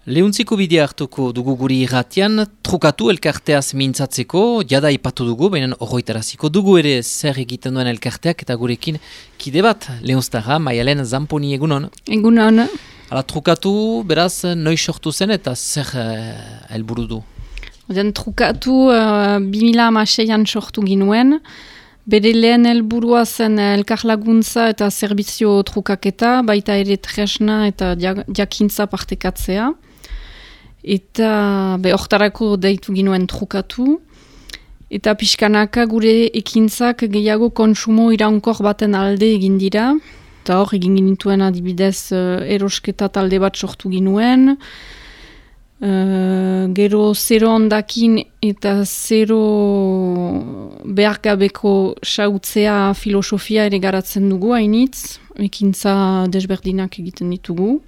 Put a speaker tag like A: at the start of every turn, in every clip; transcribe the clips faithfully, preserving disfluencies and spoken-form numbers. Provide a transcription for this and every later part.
A: Lehuntziko bidea hartuko dugu guri irratian, trukatu elkarteaz mintzatzeko, jada ipatu dugu, baina horretaraziko dugu ere zer egiten duen elkarteak eta gurekin kide bat, Leunztarra, Maialen Zamponi egunon.
B: Egunon.
A: Hala, trukatu, beraz, noiz sortu zen eta zer helburu du?
B: Oden, trukatu uh, bi mila hamaseian sortu ginuen, bere lehen helburua zen elkarlaguntza eta zerbizio trukaketa, baita ere tresna eta jakintza partekatzea. Eta behortarako deitu ginuen trukatu. Eta pixkanaka gure ekintzak gehiago kontsumo iraunkor baten alde egin dira. Eta hor egin ginituen adibidez erosketa talde bat sortu ginuen. Uh, gero zero ondakin eta zero behargabeko sautzea filosofia ere garatzen dugu hainitz. Ekintza desberdinak egiten ditugu.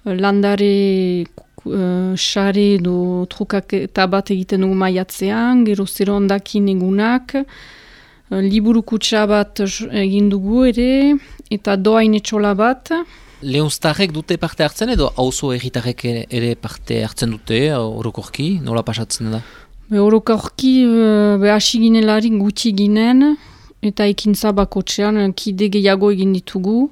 B: Landare uh, sare edo trukaketa bat egiten dugu maiatzean, gero zero ondakin egunak, uh, liburu kutsa bat egin dugu ere, eta doain etxola bat.
A: Leunztarrek dute parte hartzen edo auzo erritarrek ere parte hartzen dute, orokorki, nola pasatzen da?
B: Be, orokorki, uh, be hasi ginelarik gutxi ginen, eta ekintza bakotxean kide gehiago egin ditugu.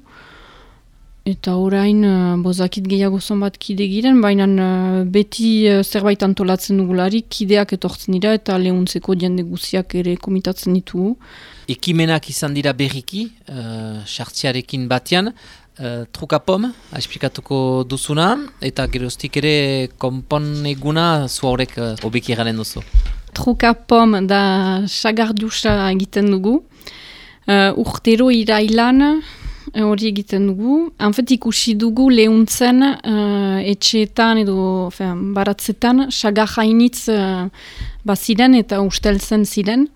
B: Eta orain, uh, bozakit gehiago zonbat kide giren, baina uh, beti uh, zerbait antolatzen dugularik, kideak etortzen dira eta lehuntzeko jende guziak ere komitatzen ditugu.
A: Ekimenak izan dira berriki, sartziarekin uh, batean, uh, trukapom, esplikatuko duzuna, eta geroztik ere konpon eguna zu horrek uh, obeki eranen duzu.
B: Trukapom da sagardiusa egiten dugu, uh, urtero irailan, hori egiten dugu. Hanfet ikusi dugu lehuntzen uh, etxeetan edo fean, baratzetan sagar hainitz uh, baziren eta usteltzen ziren.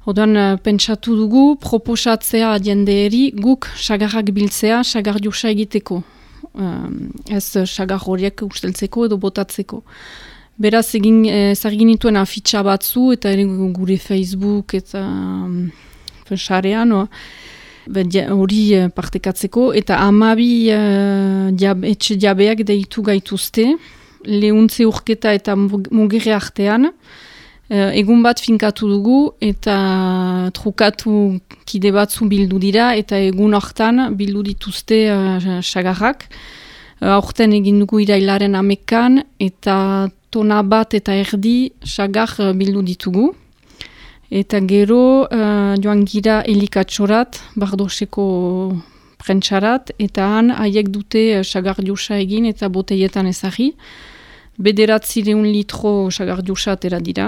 B: Odan uh, pentsatu dugu proposatzea jendeeri guk sagarrak biltzea sagardiusa egiteko. Uh, ez sagar horiek usteltzeko edo botatzeko. Beraz egin ezagin nituen afitxa batzu eta ere gure Facebook eta um, sarean, no? Hori partekatzeko, eta amabi uh, diab, etxe diabeak deitu gaituzte, lehuntze urketa eta mugire artean, uh, egun bat finkatu dugu, eta trukatu kide batzu bildu dira, eta egun hortan bildu dituzte uh, sagarrak. Uh, Horten egin dugu irailaren amekan, eta tona bat eta erdi sagar uh, bildu ditugu. Eta gero uh, joan gira elikatxorat, bardoseko prentsarat, eta han haiek dute sagardiusa egin eta boteietan ezagri. Bederatzireun litro sagardiusa atera dira.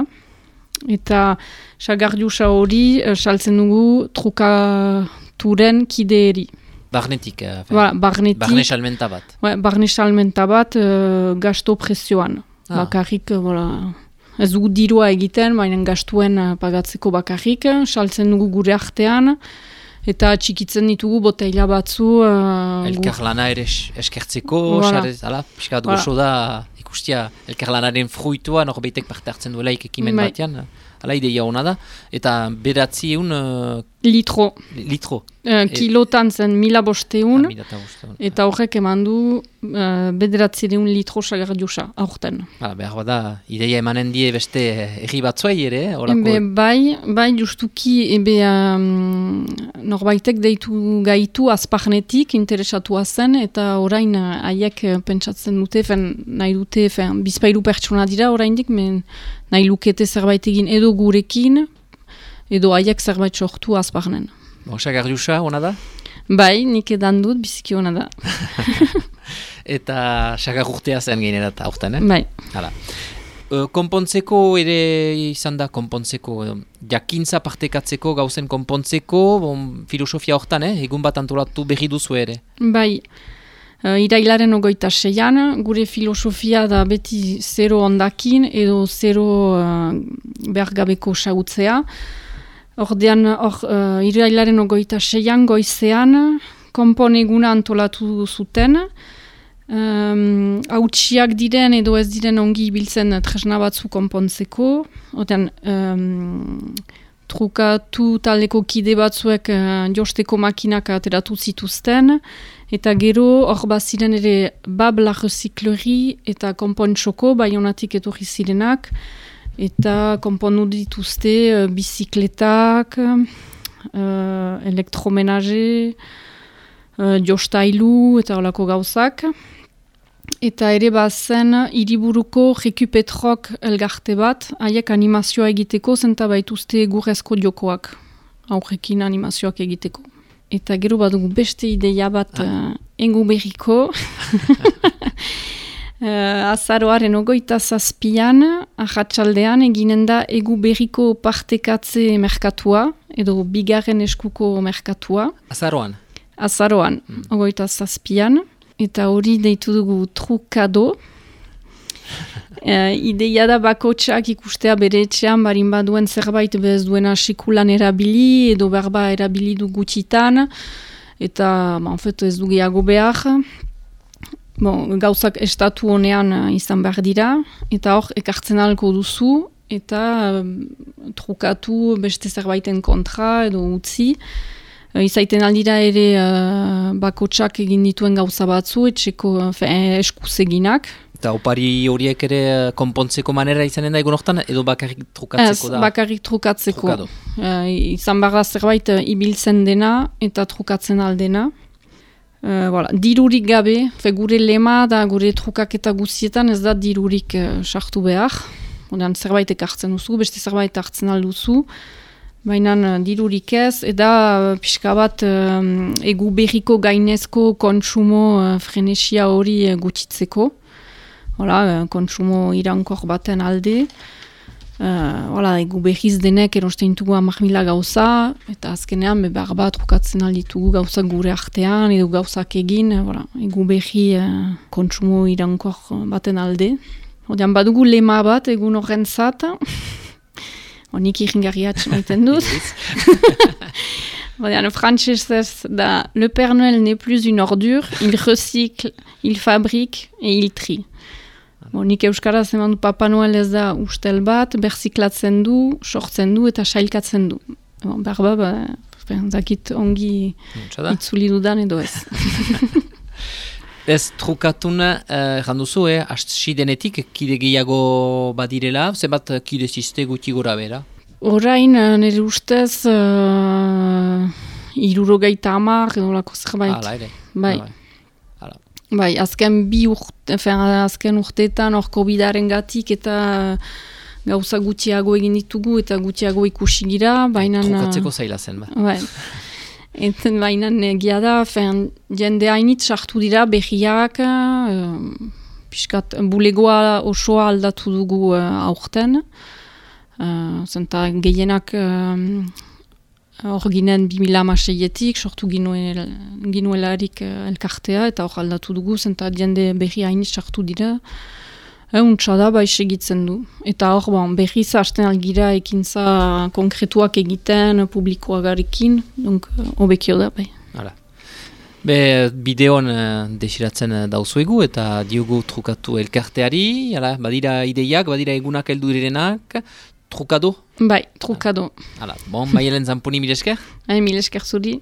B: Eta sagardiusa hori uh, saltzen dugu trukaturen kideeri.
A: Barnetik, uh,
B: ba, barnetik.
A: Barne salmenta bat.
B: Ba, barne salmenta bat uh, gasto prezioan. Ah. Bakarrik, voilà. Ez dugu dirua egiten, baina gastuen uh, pagatzeko bakarrik, saltzen dugu gure artean, eta txikitzen ditugu boteila batzu. Uh,
A: Elkarlana ere eskertzeko, voilà. Ala, piskat voilà. Gozo da ikustia elkarlanaren fruitua, norbeitek parte hartzen duelaik ekimen bai. Batean, ala ideia hona da, eta beratzi egun... Uh,
B: litro.
A: Litro.
B: Uh, kilotan zen mila bosteun,
A: ah,
B: eta horrek eman du uh, bederatzi egun litro sagardiusa, aurten.
A: Hala, behar bada, ideia emanen die beste erri batzuei ere, horako...
B: Ebe, bai, bai, justuki, ebe, um, norbaitek deitu gaitu azparnetik interesatua zen, eta orain haiek uh, pentsatzen dute, fen, nahi dute, fen, bizpairu pertsona dira oraindik, men nahi lukete zerbait egin edo gurekin, edo haiek zerbait sortu azparnen.
A: Bo, sagardiusa, hona da?
B: Bai, nik edan dut, biziki hona da.
A: Eta sagar urtea zen gainerat aurten, eh?
B: Bai.
A: Hala. Uh, konpontzeko ere izan da, konpontzeko, jakintza partekatzeko, gauzen konpontzeko, bon, filosofia hortan, eh? Egun bat antolatu berri duzu ere.
B: Bai. Uh, irailaren ogoita seian, gure filosofia da beti zero ondakin edo zero uh, behargabeko sautzea. Ordean, or, uh, irailaren ogoita seian, goizean, konpon eguna antolatu zuten. Um, hautsiak diren edo ez diren ongi ibiltzen tresna batzu konpontzeko. Ordean, um, trukatu taldeko kide batzuek uh, josteko makinak ateratu zituzten, Eta gero, hor baziren ere Bab la Recyclerie eta Konpontxoko, Baionatik etorri zirenak, eta konpondu dituzte uh, bizikletak, uh, elektromenaje, uh, jostailu eta holako gauzak. Eta ere bazen hiriburuko Rekupetrok elgarte bat, haiek animazioa egiteko, zenta baituzte gurrezko jokoak, aurrekin animazioak egiteko. Eta gero badugu beste ideia bat ah. uh, engu berriko. uh, azaroaren ogoita zazpian, ahatsaldean eginen da egu berriko partekatze merkatua, edo bigarren eskuko merkatua.
A: Azaroan?
B: Azaroan, mm. ogoita zazpian. Eta hori deitu dugu trukado. Uh, ideia da bakotxak ikustea bere etxean barin baduen zerbait bez duena sekulan erabili edo berba erabili du gutxitan eta ba, en fait, ez du gehiago behar. Bon, gauzak estatu honean uh, izan behar dira eta hor ekartzen alko duzu eta uh, trukatu beste zerbaiten kontra edo utzi. Uh, izaiten aldira ere uh, bakotxak egin dituen gauza batzu etxeko uh, eskuz eginak.
A: Eta opari horiek ere konpontzeko manera izanen da egun hortan, edo bakarrik trukatzeko da?
B: Ez, bakarrik trukatzeko. Uh, izan behar da zerbait uh, ibiltzen dena eta trukatzen aldena. Uh, voilà. Dirurik gabe, fe, gure lema da gure trukaketa guzietan ez da dirurik sartu uh, behar. Odean zerbait ekartzen duzu, beste zerbait hartzen alduzu. Baina uh, dirurik ez, eta uh, pixka bat uh, egu berriko gainezko kontsumo uh, frenesia hori uh, gutxitzeko. Hola, kontsumo irankor baten alde. Uh, hola, egu behiz denek erosten ditugu hamar mila gauza, eta azkenean behar bat trukatzen alditugu gauzak gure artean, edo gauzak egin, hola, egu behi uh, kontsumo irankor baten alde. Odean badugu lema bat egun horren zat, honik iringarriatx maiten dut. Odean, frantsesez da, le Père Noël n'est plus une ordure, il recycle, il fabrique et il trie. Bon, nik euskaraz eman du Papa Noel ez da ustel bat, berziklatzen du, sortzen du eta sailkatzen du. Bon, berba, ba, zakit ongi itzuli dudan edo ez.
A: Ez trukatuna, erran duzu, eh, hasi denetik, kide gehiago badirela, zenbat kide ziste guti gora bera?
B: Orain, nire ustez, uh, irurogeita hamar, edo lako zerbait.
A: Hala ere.
B: Bai. Bai, azken bi urte, azken urteetan hor COVIDaren gatik eta gauza gutxiago egin ditugu eta gutxiago ikusi gira, baina...
A: Trukatzeko zaila zen, ba.
B: Bai. Eta baina egia da, fen, jende hainit sartu dira behiak, uh, piskat, bulegoa osoa aldatu dugu uh, aurten. Uh, zenta gehienak... Uh, Hor ginen bi mila hamaseietik, sortu ginuelarik elkartea, eta hor aldatu dugu, zenta jende berri hainit sartu dira. Untsa da, bai segitzen du. Eta hor, bon, berri zahasten algira ekintza konkretuak egiten, publikoagarekin, donc hobekio da, bai.
A: Hala. Be, bideon uh, desiratzen dauzuegu, eta diogu trukatu elkarteari, hala, badira ideiak, badira egunak heldu direnak, trukado?
B: Bai, trukado.
A: Hala, bon, Maialen Zamponi, mil esker?
B: Hai, mil esker zuri.